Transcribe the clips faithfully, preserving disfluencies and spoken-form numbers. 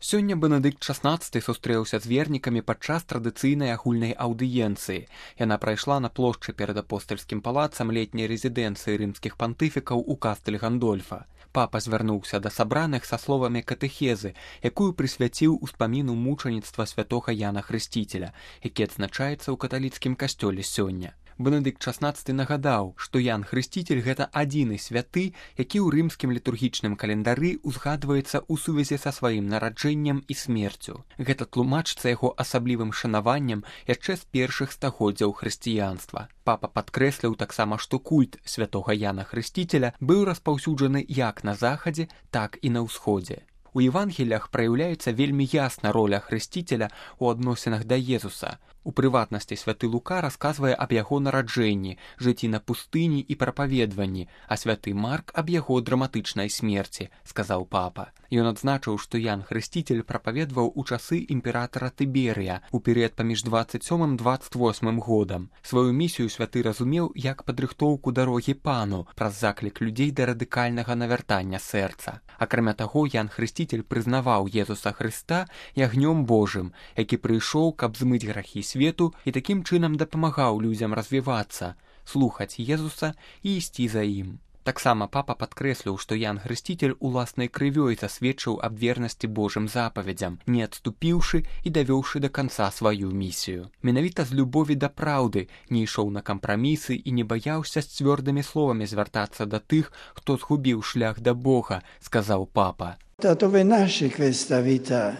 Сёння Бенедыкт шаснаццаты сустрэўся з вернікамі падчас традыцыйнай агульнай аўдыенцыі. Яна прайшла на плошчы перад апостальскім палацам летняй рэзідэнцыі рымскіх пантыфікаў у Кастэль Гандольфа. Папа звярнуўся да сабраных са словамі катэхезы, якую прысвяціў успаміну мучаніцтва святога Яна Хрысціцеля, які адзначаецца ў каталіцкім касцёле сёння. Бенедыкт шаснаццаты нагадаў, што Ян Хрысціцель гэта адзіны святы, які ў рымскім літургічным календары узгадваецца ў сувязі са сваім нараджэннем і смерцю. Гэта тлумачыцца яго асаблівым шанаваннем яшчэ з першых стагоддзяў хрысціянства. Папа падкрэсліў таксама, што культ святога Яна Хрысціцеля быў распаўсюджаны як на захадзе, так і на ўсходзе. У Евангеліях праяўляецца вельмі ясна роля Хрысціцеля ў адносінах да Езуса. У прыватнасці святы Лука расказвае аб яго нараджэнні, жыцці на пустыні і прапаведванні, а святы Марк аб яго драматычнай смерці, сказаў папа. Ён адзначыў, што Ян Хрысціцель прапаведваў у часы імператара Тыберыя у перыяд паміж дваццаць сёмым дваццаць восьмым годам. Сваю місію святы разумеў як падрыхтоўку дарогі пану праз заклік людзей да радыкальнага навяртання сэрца. Акрамя таго, Ян Хрысціцель прызнаваў Езуса Хрыста ягнём Божым, які прыйшоў, каб змыць грахі свету і такім чынам дапамагаў людзям развівацца, слухаць Езуса і ісці за ім. Таксама папа падкрэсліў, што Ян Хрысціцель уласнай крывёй засведчыў аб вернасці Божым запаведзям, не адступіўшы і давёўшы да канца сваю місію. Менавіта з любові да праўды не ішоў на кампрамісы і не баяўся з цвёрдымі словамі звяртацца да тых, хто згубіў шлях да Бога, сказаў папа. Da dove nasce questa vita,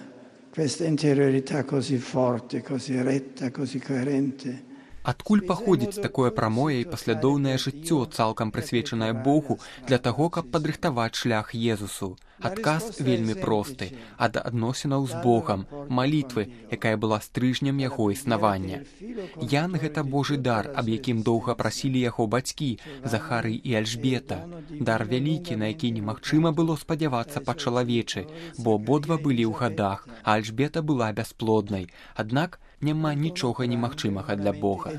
questa interiorità così forte, così retta, così coerente? Адкуль паходзіць такое прамое і паслядоўнае жыццё, цалкам прысвечанае Богу для таго, каб падрыхтаваць шлях Езусу? Адказ вельмі просты, ад адносінаў з Богам, малітвы, якая была стрыжнем яго існавання. Ян гэта Божы дар, аб якім доўга прасілі яго бацькі, Захарый і Альжбета. Дар вялікі, на які немагчыма было спадзявацца па-чалавечы, бо абодва былі ў гадах, а Альжбета была бясплоднай. Аднак няма нічога немагчымага для Бога.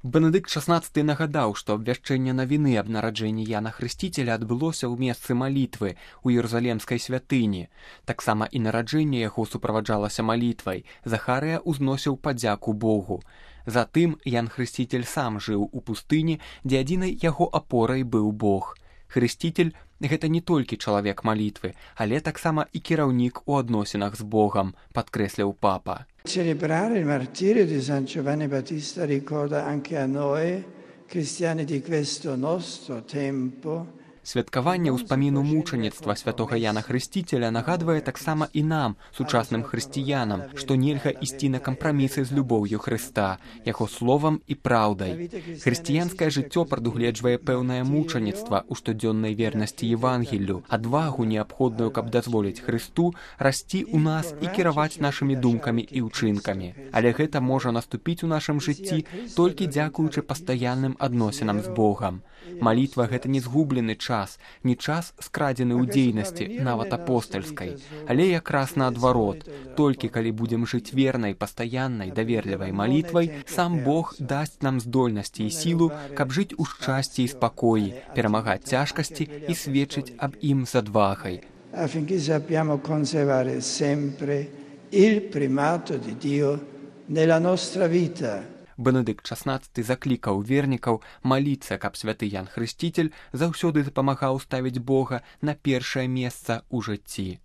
Бенедыкт шаснаццаты нагадаў, што абвяшчэнне навіны аб нараджэнні Яна Хрысціцеля адбылося ў месцы малітвы ў Іерусалемскай святыні. Таксама і нараджэнне яго суправаджалася малітвай. Захарыя ўзносіў падзяку Богу. Затым Ян Хрысціцель сам жыў у пустыні, дзе адзінай яго апорай быў Бог. Хрысціцель гэта не толькі чалавек малітвы, але таксама і кіраўнік у адносінах з Богам, падкрэсліў папа. Celebrare il martirio di San Giovanni Battista ricorda anche a noi, cristiani di questo nostro tempo, Святкаванне ўспаміну мучаніцтва святога Яна Хрысціцеля нагадвае таксама і нам, сучасным хрысціянам, што нельга ісці на кампрамісы з любоўю Хрыста, яго словам і праўдай. Хрысціянскае жыццё прадугледжвае пэўнае мучаніцтва ў штодзённай вернасці Евангеллю, адвагу неабходную, каб дазволіць Хрысту расці ў нас і кіраваць нашымі думкамі і ўчынкамі. Але гэта можа наступіць у нашым жыцці толькі дзякуючы пастаянным адносінам з Богам. Малітва гэта не згублены час, не час скрадзены ў дзейнасці, нават апостальскай, але якраз наадварот, толькі калі будзем жыць вернай, пастаяннай, даверлівай малітвай, сам Бог дасць нам здольнасці і сілу, каб жыць у шчасці і спакоі, перамагаць цяжкасці і сведчыць аб ім з адвагай. Affinché sappiamo conservare sempre il primato di Dio nella nostra vita. Бенедыкт шаснаццаты заклікаў вернікаў маліцца, каб святы Ян Хрысціцель заўсёды дапамагаў ставіць Бога на першае месца ў жыцці.